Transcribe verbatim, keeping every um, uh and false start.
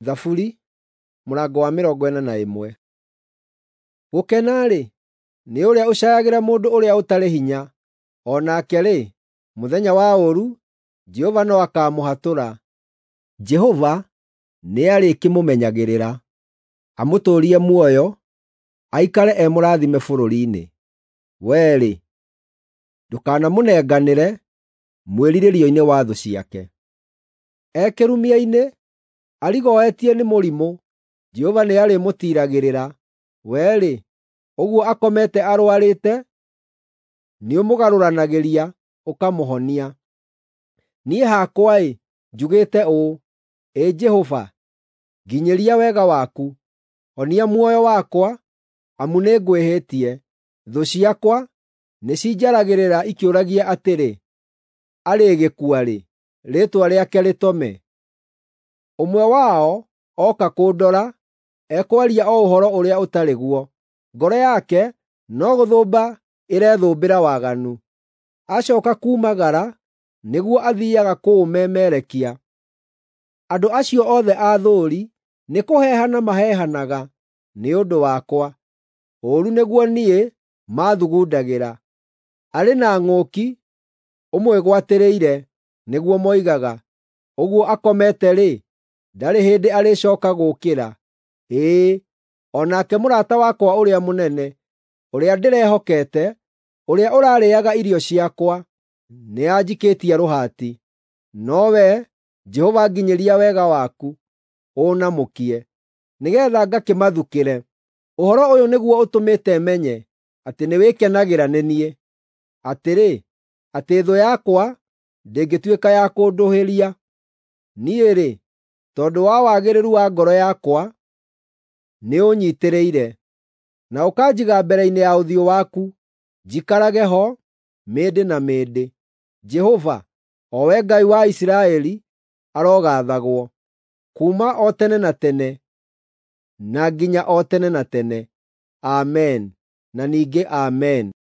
Thaburi mũrango wa mĩrongo ĩna na ĩmwe. Gũkena-rĩ, nĩ ũrĩa ũcaayagĩra mũndũ ũrĩa ũtarĩ hinya, o nake-rĩ, mũthenya wa ũũru Jehova no akaamũhatũra. Jehova nĩarĩkĩmũmenyagĩrĩra, amũtũũrie muoyo, aikare e mũrathime bũrũri-inĩ. Wee-rĩ, ndũkanamũnenganĩre mwĩrirĩrio-inĩ wa thũ ciake. E kĩrumia-inĩ, arigoetie nĩ mũrimũ, Jehova nĩarĩmũtiiragĩrĩra. Wee-rĩ, ũguo akomete arũarĩte, nĩũmũgarũranagĩria, ũkamũhonia. Niĩ hakwa-ĩ, njugĩte ũũ, “Ĩ Jehova, nginyĩria wega waku; honia muoyo wakwa, amu nĩngwĩhĩtie. Thũ ciakwa nĩcinjaragĩrĩra ikĩũragia atĩrĩ, ‘Arĩgĩkua rĩ, rĩĩtwa rĩake rĩtome?’ Ũmwe wao ooka kũndora, ekwaria o ũhoro ũrĩa ũtarĩ guo; ngoro yake no gũthũmba ĩrethũmbĩra waganu. Acooka kuumagara nĩguo athiiaga kũũmemerekia. Andũ acio othe aathũũri nĩkũheehana maheehanaga nĩ ũndũ wakwa; ũũru nĩguo niĩ maathugundagĩra. Arĩ na ng'ũki ũmwĩgwatĩrĩire, nĩguo moigaga. Ũguo akomete-rĩ, ndarĩ hĩndĩ arĩcooka gũũkĩra. Ĩĩ, o nake mũrata wakwa ũrĩa mũnene, ũrĩa ndĩrehokete, ũrĩa ũrarĩĩaga irio ciakwa, nĩanjikĩtie rũhati. No wee, Jehova nginyĩria wega waku, ũũnamũkie, nĩgeetha ngakĩmathukĩre. Ũhoro ũyũ nĩguo ũtũmĩte menye atĩ nĩwĩkenagĩra nĩ niĩ, atĩrĩ, atĩ thũ yakwa ndĩngĩtuĩka ya kũndũhĩria. Niĩ-rĩ, tondũ wa wagĩrĩru wa ngoro yakwa, nĩũũnyiitĩrĩire, na ũkanjiga mbere-inĩ ya ũthiũ waku, njikarage ho mĩndĩ na mĩndĩ. Jehova, o we Ngai wa Isiraeli, arogaathagwo, kuuma o tene na tene na nginya o tene na tene. Amen, na ningĩ Amen.